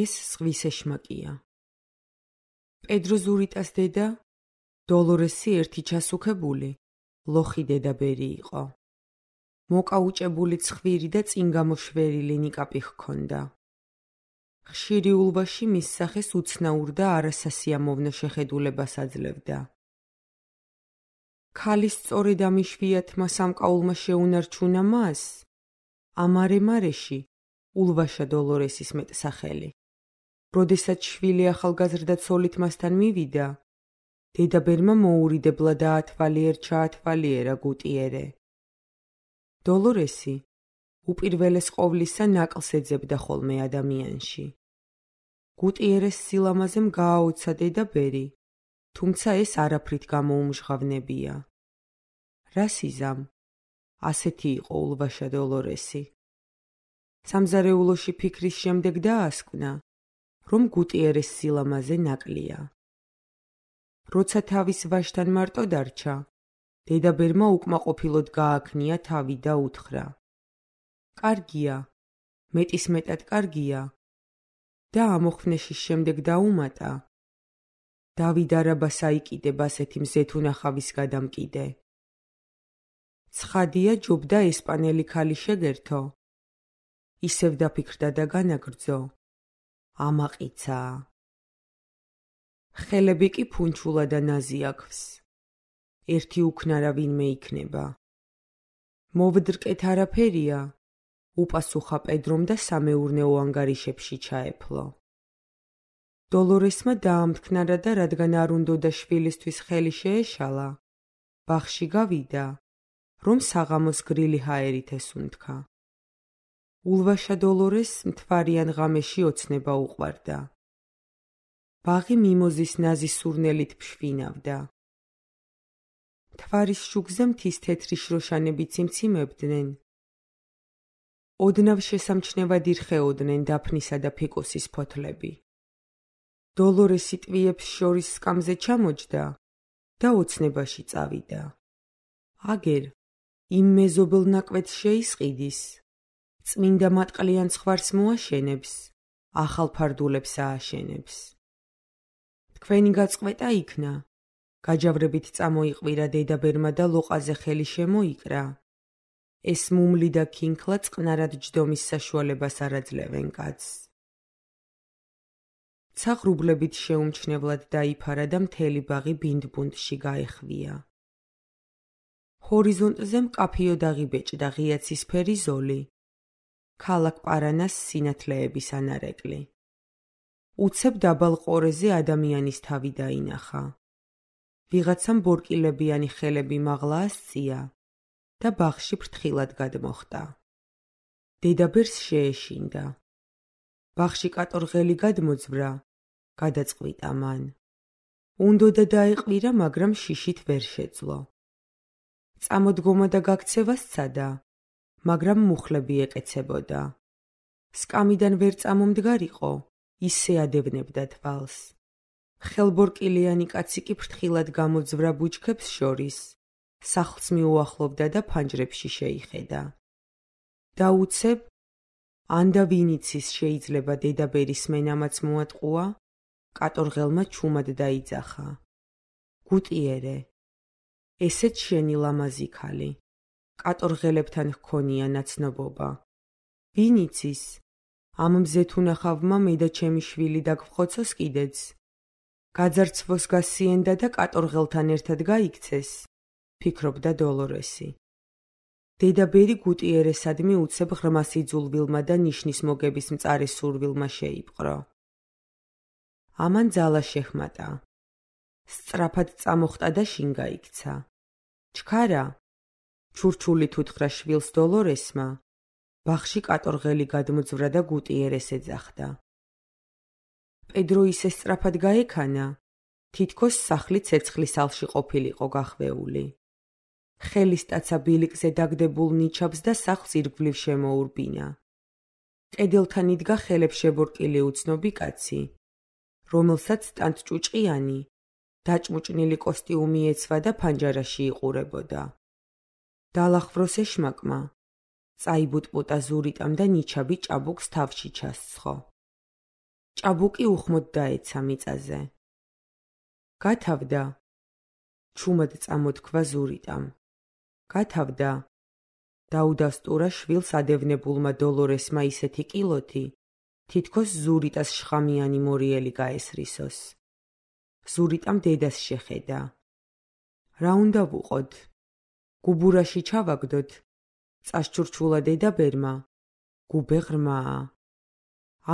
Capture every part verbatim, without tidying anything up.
ეს ზღვის ეშმაკია. პედრო ზურიტას დედა, დოლორესი ერთი ჩასუქებული, ლოხი დედაბერი იყო. მოკაუჭებული ცხვირი და წინ გამოშვერილი ნიკაპი ჰქონდა. ხშირი ულვაში მის სახეს უცნაურ და არასასიამოვნო შეხედულებას აძლევდა. ქალის სწორედ ამ იშვიათმა სამკაულმა შეუნარჩუნა მას, ამარე-მარეში, ულვაშა დოლორესის მეტსახელი. როდესაც შვილი ახალგაზრდა ცოლით მასთან მივიდა, დედაბერმა მოურიდებლა დაათვალიერ-ჩაათვალიერა გუტიერე. დოლორესი უპირველეს ყოვლისა ნაკლს ეძებდა ხოლმე ადამიანში. გუტიერეს სილამაზემ გააოცა დედაბერი, თუმცა ეს არაფრით გამოუმჟღავნებია. რა სიზამ? ასეთი იყო ულვაშა დოლორესი. სამზარეულოში ფიქრის შემდეგ დაასკვნა, რომ გუტიერეს სილამაზე ნაკლია. როცა თავის ვაჟთან მარტო დარჩა, დედაბერმა უკმაყოფილოდ გააქნია თავი და უთხრა: კარგია, მეტისმეტად კარგია. და ამოხვნეშის შემდეგ დაუმატა: დავით არაბას აიკიდებ ასეთი მზეთუნახავის გადამკიდე. ცხადია ჯობდა ესპანელი ქალი შეგერთო. ისევ დაფიქრდა და განაგრძო: ამაყიცაა. ხელები კი ფუნჩულა და ნაზი აქვს. ერთი უქნარა ვინმე იქნება. მოვდრკეთ არაფერია, უპასუხა პედრომ და სამეურნეო ანგარიშებში ჩაეფლო. დოლორესმა დაამთქნარა და რადგან არ უნდოდა შვილისთვის ხელი შეეშალა, ბაღში გავიდა, რომ საღამოს გრილი ჰაერით ესუნთქა. ულვაშა დოლორეს მთვარიან ღამეში ოცნება უყვარდა. ბაღი მიმოზის ნაზი სურნელით ფშვინავდა. მთვარის შუქზე მთის თეთრი შროშანები ციმციმებდნენ. ოდნავ შესამჩნევად ირხეოდნენ დაფნისა და ფიკუსის ფოთლები. დოლორესი ტვიებს შორის სკამზე ჩამოჯდა და ოცნებაში წავიდა. აგერ, იმ მეზობელ ნაკვეთს შეისყიდის, წმინდა მატყლიან ცხვარს მოაშენებს, ახალ ფარდულებს ააშენებს. თქვენი გაწყვეტა იქნა, გაჯავრებით წამოიყვირა დედაბერმა და ლოყაზე ხელი შემოიკრა. ეს მუმლი და ქინქლა წყნარად ჯდომის საშუალებას არ აძლევენ კაცს. ცაღრუბლებით შეუმჩნევლად დაიფარა და მთელი ბაღი ბინდბუნდში გაეხვია. ჰორიზონტზე მკაფიოდ აღიბეჭდა ღია ცისფერი ზოლი. ქალაქ პარანას სინათლეების ანარეკლი. უცებ დაბალ ყორეზე ადამიანის თავი დაინახა. ვიღაცამ ბორკილებიანი ხელები მაღლა ასწია და ბაღში ფრთხილად გადმოხტა. დედაბერს შეეშინდა. ბაღში კატორღელი გადმოძვრა, გადაწყვიტა მან. უნდოდა დაეყვირა, მაგრამ შიშით ვერ შეძლო. წამოდგომა და გაქცევა სცადა, მაგრამ მუხლები ეკეცებოდა. სკამიდან ვერ წამომდგარიყო, ისე ადევნებდა თვალს. ხელბორკილიანი კაცი კი ფრთხილად გამოძვრა ბუჩქებს შორის, სახლს მიუახლოვდა და ფანჯრებში შეიხედა. დაუცებ, ანდა ვინიცის შეიძლება დედაბერის მენამაც მოატყუა, კატორღელმა ჩუმად დაიძახა. გუტიერე, ესეც შენი ლამაზი ქალი, კატორღელებთან ჰქონია ნაცნობობა. ვინიცის, ამ მზეთუნახავმა მე და ჩემი შვილი დაგვხოცოს კიდეც. გაძარცვოს გასიენდა და კატორღელთან ერთად გაიქცეს, ფიქრობდა დოლორესი. დედაბერი გუტიერესადმი უცებ ღრმა სიძულვილმა და ნიშნის მოგების მწარე სურვილმა შეიპყრო. ამან ძალა შეჰმატა. სწრაფად წამოხტა და შინ გაიქცა. ჩქარა, ჩურჩულით უთხრა შვილს დოლორესმა, ბაღში კატორღელი გადმოძვრა და გუტიერეს ეძახდა. პედრო ისე სწრაფად გაექანა, თითქოს სახლი ცეცხლის ალში ყოფილიყო გახვეული. ხელისტაცა ბილიკზე დაგდებულ ნიჩაბს და სახლს ირგვლივ შემოურბინა. კედელთან იდგა ხელებს შებორკილი უცნობი კაცი, რომელსაც ტანტჭუჭყიანი, დაჭმუჭნილი კოსტიუმი ეცვა და ფანჯარაში იყურებოდა. დალახვროს ეშმაკმა, წაიბუტბუტა ზურიტამ და ნიჩაბი ჭაბუკს თავში ჩასცხო. ჭაბუკი უხმოდ დაეცა მიწაზე. გათავდა. ჩუმად წამოთქვა ზურიტამ. გათავდა. დაუდასტურა შვილს ადევნებულმა დოლორესმა ისეთი კილოთი, თითქოს ზურიტას შხამიანი მორიელი გაესრისოს. ზურიტამ დედას შეხედა. რა უნდა ვუყოთ? გუბურაში ჩავაგდოთ? წასჩურჩულა დედაბერმა. გუბე ღრმაა.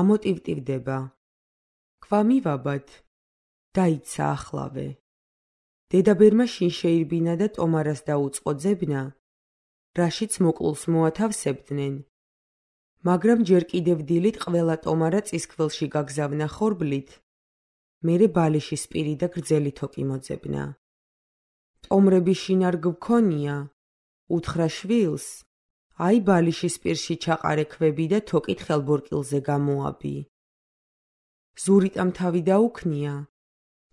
ამოტივტივდება. ქვა მივაბად. დაიცა ახლავე. დედაბერმა შინ შეირბინა და ტომარას დაუწყო ძებნა, რაშიც მოკლულს მოათავსებდნენ. მაგრამ ჯერ კიდევ დილით ყველა ტომარა წისქვილში გაგზავნა ხორბლით, მერე ბალიშის პირი და გრძელი თოკი მოძებნა. ტომრები შინ არ გვქონია, უთხრა შვილს, აი ბალიშის პირში ჩაყარე ქვები და თოკით ხელბორკილზე გამოაბი. ზურიტამ თავი დაუქნია,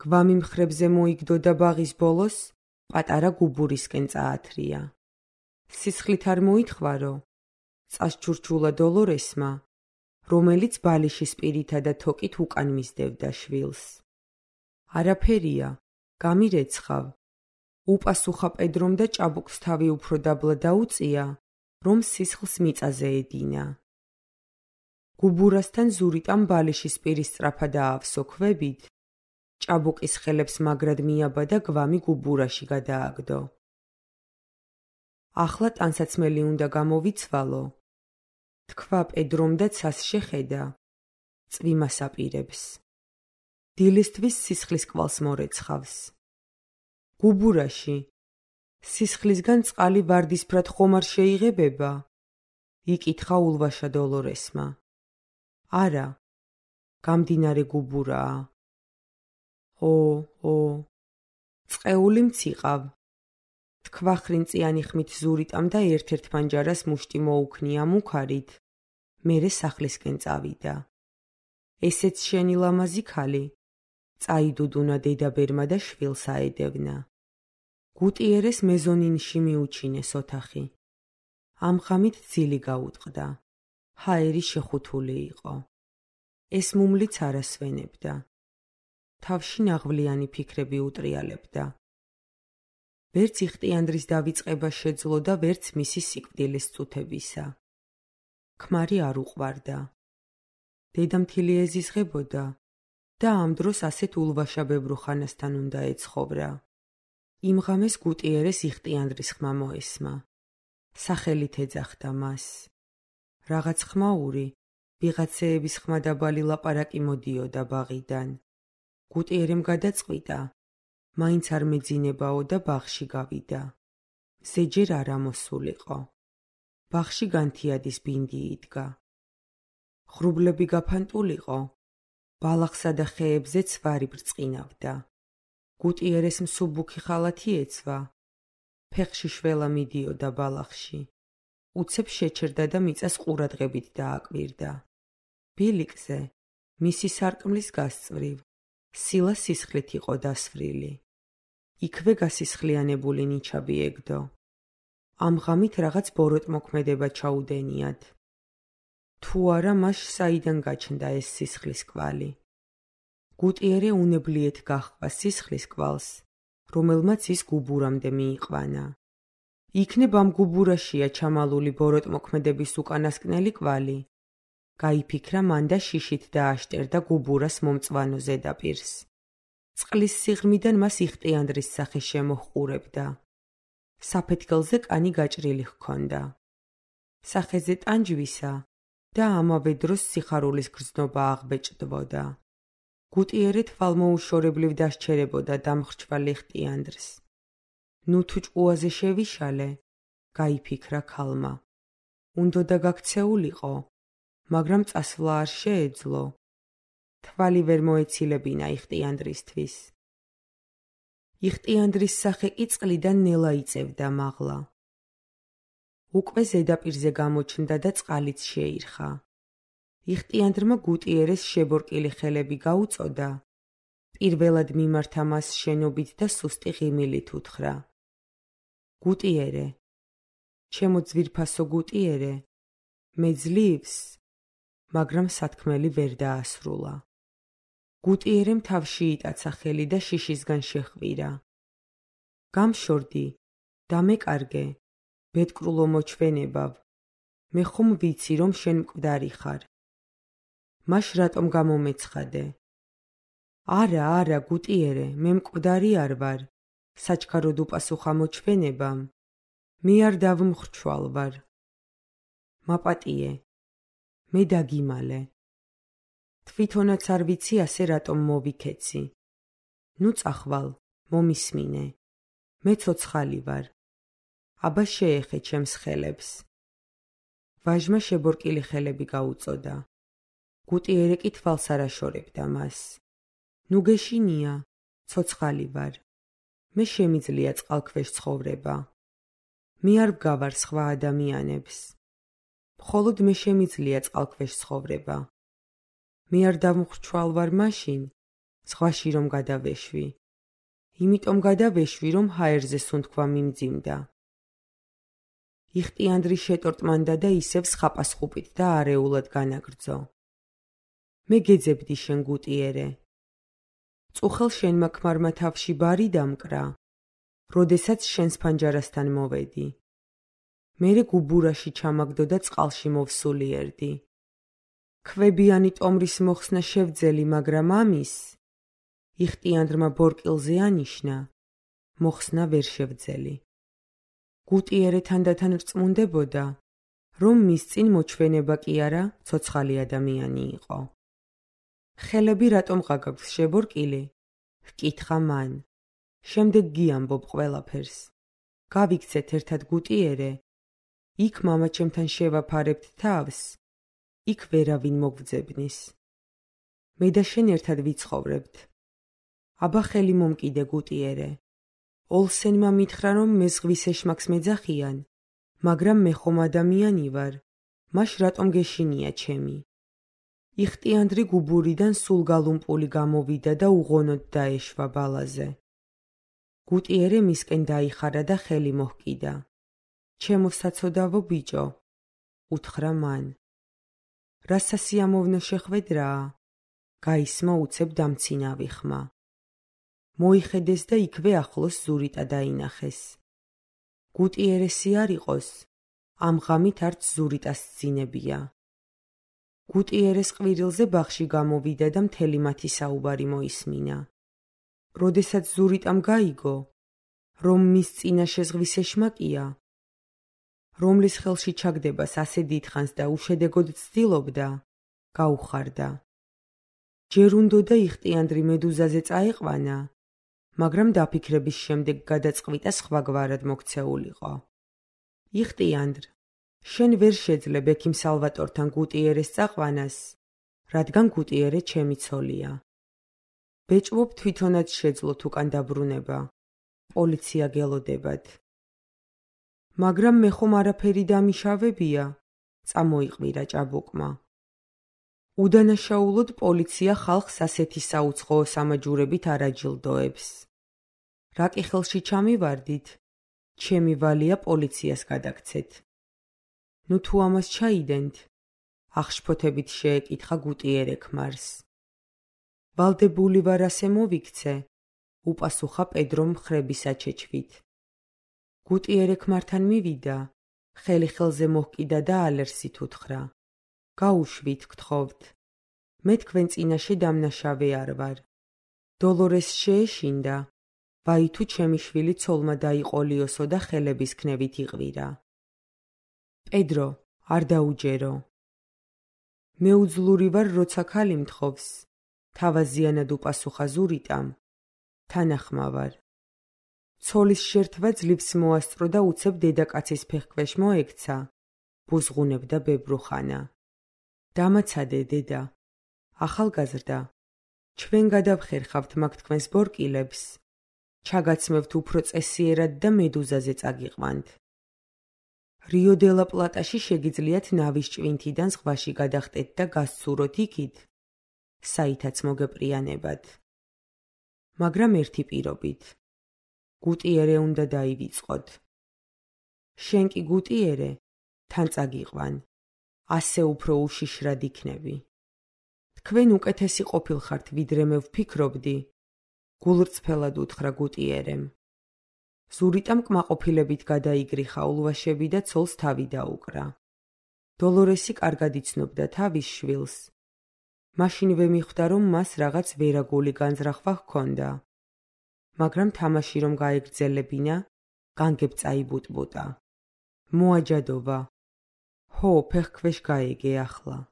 გვამი მხრებზე მოიგდო და ბაღის ბოლოს პატარა გუბურისკენ წაათრია. სისხლით არ მოითხვარო, წასჩურჩულა დოლორესმა, რომელიც ბალიშის პირითა და თოკით უკან მისდევდა შვილს. არაფერია, გამირეცხავ. უპასუხა პედრომ და ჭაბუკს თავი უფრო დაბლა დაუწია, რომ სისხლს მიწაზე ედინა. გუბურასთან ზურიტამ ბალიშის პირის სწრაფად აავსო ქვებით, ჭაბუკის ხელებს მაგრად მიაბა და გვამი გუბურაში გადააგდო. ახლა ტანსაცმელი უნდა გამოვიცვალო. თქვა პედრომ და ცას შეხედა. წვიმას აპირებს. დილისთვის სისხლის კვალს მორეცხავს. გუბურაში. სისხლისგან წყალი ვარდისფრად ხომ არ შეიღებება? იკითხა ულვაშა დოლორესმა. არა. გამდინარე გუბურაა. ო, ო. წყეული მციყავ. თქვა ხრინწიანი ხმით ზურიტამ და ერთ-ერთ პანჯარას მუშტი მოუქნია მუქარით, მერე სახლისკენ წავიდა. ესეც შენი ლამაზი ქალი? წაიდუდუნა დედაბერმა და შვილს აედევნა. გუტიერეს მეზონინში მიუჩინეს ოთახი. ამ ღამით ძილი გაუტყდა. ჰაერი შეხუთული იყო. ეს მუმლიც არ ასვენებდა. თავში ნაღვლიანი ფიქრები უტრიალებდა. ვერც იხტიანდრის დავიწყება შეძლო და ვერც მისი სიკვდილის წუთებისა. ქმარი არ უყვარდა. დედამთილი ეზიზღებოდა და ამ დროს ასეთ ულვაშაბებრ ხანასთან უნდა ეცხოვრა. იმ ღამეს გუტიერეს იხტიანდრის ხმა მოესმა. სახელით ეძახდა მას. რაღაც ხმაური, ვიღაცეების ხმა დაბალი ლაპარაკი მოდიოდა ბაღიდან. გუტიერემ გადაწყვიტა, მაინც არ მეძინებაო და ბაღში გავიდა. ზეჯერ არ ამოსულიყო. ბაღში განთიადის ბინდი იდგა. ღრუბლები გაფანტულიყო. ბალახსა და ხეებზე ცვარი ბრწყინავდა. გუტიერეს მსუბუქი ხალათი ეცვა. ფეხში შველა მიდიოდა ბალახში. უცებ შეჩერდა და მიწას ყურადღებით დააკვირდა. ბილიკზე, მისი სარკმლის გასწვრივ, სილა სისხლით იყო დასვრილი. იქვე გასისხლიანებული ნიჩაბი ეგდო. ამ ღამით რაღაც ბოროტმოქმედება ჩაუდენიათ. თუ არა მას საიდან გაჩნდა ეს სისხლის კვალი. გუტიერე უნებლიეთ გაჰყვა სისხლის კვალს, რომელმაც ის გუბურამდე მიიყვანა. იქნებ ამ გუბურაშია ჩამალული ბოროტმოქმედების უკანასკნელი კვალი. გაიფიქრა მან და შიშით დააშტერდა გუბურას მომწვანო ზედაპირს. წყლის სიღრმიდან მას იხტიანდრის სახე შემოჰყურებდა. საფეთქელზე კანი გაჭრილი ჰქონდა. სახეზე ტანჯვისა და ამავე დროს სიხარულის გრძნობა აღბეჭდვოდა. გუტიერე თვალმოუშორებლივ დასჩერებოდა დამხრჩვალ იხტიანდრს. ნუ თუ ჭკუაზე შევიშალე, გაიფიქრა ქალმა. უნდოდა გაქცეულიყო, მაგრამ წასვლა არ შეეძლო. თვალი ვერ მოეცილებინა იხტიანდრისთვის. იხტიანდრის სახე კი წყლიდან ნელა იწევდა მაღლა. უკვე ზედაპირზე გამოჩნდა და წყალიც შეირხა. იხტიანდრმა გუტიერეს შებორკილი ხელები გაუწოდა. პირველად მიმართა მას შენობით და სუსტი ღიმილით უთხრა. გუტიერე, ჩემო ძვირფასო გუტიერე, მე ძლივს, მაგრამ სათქმელი ვერ დაასრულა. გუტიერემ თავში იტაცა ხელი და შიშისგან შეჰყვირა. გამშორდი, დამეკარგე, ბედკრულო მოჩვენებავ, მე ხომ ვიცი, რომ შენ მკვდარი ხარ. მაშ რატომ გამომეცხადე? არა, არა, გუტიერე, მე მკვდარი არ ვარ, საჩქაროდ უპასუხა მოჩვენებამ, მე არ დავმხრჩვალ ვარ. მაპატიე, მე დაგიმალე. თვითონაც არ ვიცი ასე რატომ მოვიქეცი. ნუ წახვალ, მომისმინე. მე ცოცხალი ვარ. აბა შეეხე ჩემს ხელებს. ვაჟმა შებორკილი ხელები გაუწოდა. გუტიერე კი თვალს არ აშორებდა მას. ნუ გეშინია, ცოცხალი ვარ. მე შემიძლია წყალქვეშ ცხოვრება. მე არ ვგავარ სხვა ადამიანებს. მხოლოდ მე შემიძლია წყალქვეშ ცხოვრება. მე არ დავმხრჩვალ ვარ მაშინ, ზღვაში რომ გადავეშვი. იმიტომ გადავეშვი, რომ ჰაერზე სუნთქვა მიმძიმდა. იხტიანდრი შეტორტმანდა და ისევ სხაპასხუპით და არეულად განაგრძო. მე გეძებდი შენ გუტიერე. წუხელ შენმა ქმარმა თავში ბარი დამკრა, როდესაც შენს ფანჯარასთან მოვედი. მერე გუბურაში ჩამაგდო და წყალში მოვსულიერდი. ქვებიანი ტომრის მოხსნა შევძელი, მაგრამ ამის იხტიანდრმა ბორკილზე ანიშნა, მოხსნა ვერ შევძელი. გუტიერე თანდათან რწმუნდებოდა, რომ მის წინ მოჩვენება კი არა, ცოცხალი ადამიანი იყო. ხელები რატომ ყაგაქვს შებორკილი? ჰკითხა მან. შემდეგ გიამბობ ყველაფერს. გავიქცეთ ერთად გუტიერე. იქ მამაჩემთან შევაფარებთ თავს. იქ ვერავინ მოგძებნის. მე და შენ ერთად ვიცხოვრებთ. აბა ხელი მომკიდე გუტიერე. ოლსენმა მითხრა, რომ მე ზღვის ეშმაკს მეძახიან, მაგრამ მე ხომ ადამიანი ვარ, მაშ რატომ გეშინია ჩემი? იხტიანდრი გუბურიდან სულ გალუმპული გამოვიდა და უღონოდ დაეშვა ბალაზე. გუტიერე მისკენ დაიხარა და ხელი მოჰკიდა. ჩემო საცოდავო ბიჭო, უთხრა მან. რა სასიამოვნო შეხვედრაა? გაისმა უცებ დამცინავი ხმა. მოიხედეს და იქვე ახლოს ზურიტა დაინახეს. გუტიერესი არ იყოს, ამ ღამით არც ზურიტას ძინებია. გუტიერეს ყვირილზე ბაღში გამოვიდა და მთელი მათი საუბარი მოისმინა. როდესაც ზურიტამ გაიგო, რომ მის წინაშე ზღვის ეშმაკია, რომლის ხელში ჩაგდებას ასე დიდხანს და უშედეგოდ ცდილობდა, გაუხარდა. ჯერ უნდოდა იხტიანდრი მედუზაზე წაეყვანა, მაგრამ დაფიქრების შემდეგ გადაწყვიტა სხვაგვარად მოქცეულიყო. იხტიანდრ, შენ ვერ შეძლებ ექიმ სალვატორთან გუტიერეს წაყვანას, რადგან გუტიერე ჩემი ცოლია. ბეჭვობ თვითონაც შეძლოთ უკან დაბრუნება. პოლიცია გელოდებათ. მაგრამ მე ხომ არაფერი დამიშავებია, წამოიყვირა ჭაბუკმა. უდანაშაულოდ პოლიცია ხალხს ასეთი საუცხოო სამაჯურებით არ აჯილდოებს. რა კი ხელში ჩამივარდით, ჩემი ვალია პოლიციას გადაგცეთ. ნუ თუ ამას ჩაიდენთ, ახშფოთებით შეეკითხა გუტიერე ქმარს. ვალდებული ვარ ასე მოვიქცე, უპასუხა პედრომ მხრების აჩეჩვით. გუტიერე ქმართან მივიდა, ხელი ხელზე მოჰკიდა და ალერსით უთხრა. გაუშვით, გთხოვთ. მე თქვენ წინაშე დამნაშავე არ ვარ. დოლორეს შეეშინდა, ვაი თუ ჩემი შვილი ცოლმა დაიყოლიოსო და ხელების ქნევით იყვირა. პედრო, არ დაუჯერო. მე უძლური ვარ, როცა ქალი მთხოვს, თავაზიანად უპასუხა ზურიტამ. თანახმა ვარ. ცოლის შერთვა ძლივს მოასწრო და უცებ დედაკაცის ფეხქვეშ მოექცა, ბუზღუნებდა ბებრუხანა. დამაცადე დედა, ახალგაზრდა, ჩვენ გადავხერხავთ მაგ თქვენს ბორკილებს, ჩაგაცმევთ უფრო წესიერად და მედუზაზე წაგიყვანთ. რიო დე ლა პლატაში შეგიძლიათ ნავის ჭვინთიდან ზღვაში გადახტეთ და გასცუროთ იქით, საითაც მოგეპრიანებათ. მაგრამ ერთი პირობით. გუტიერე უნდა დაივიწყოთ. შენ კი გუტიერე, თან წაგიყვან. ასე უფრო უშიშრად იქნები. თქვენ უკეთესი ყოფილხართ, ვიდრე მე ვფიქრობდი. გულრწფელად უთხრა გუტიერემ. ზურიტამ კმაყოფილებით გადაიგრიხა ულვაშები და ცოლს თავი დაუკრა. დოლორესი კარგად იცნობდა თავის შვილს. მაშინვე მიხვდა, რომ მას რაღაც ვერაგული განზრახვა ჰქონდა. მაგრამ თამაში რომ გაეგრძელებინა, განგებ წაიბუტბუტა. მოაჯადოვა. ჰო, ფეხქვეშ გაეგე ახლა.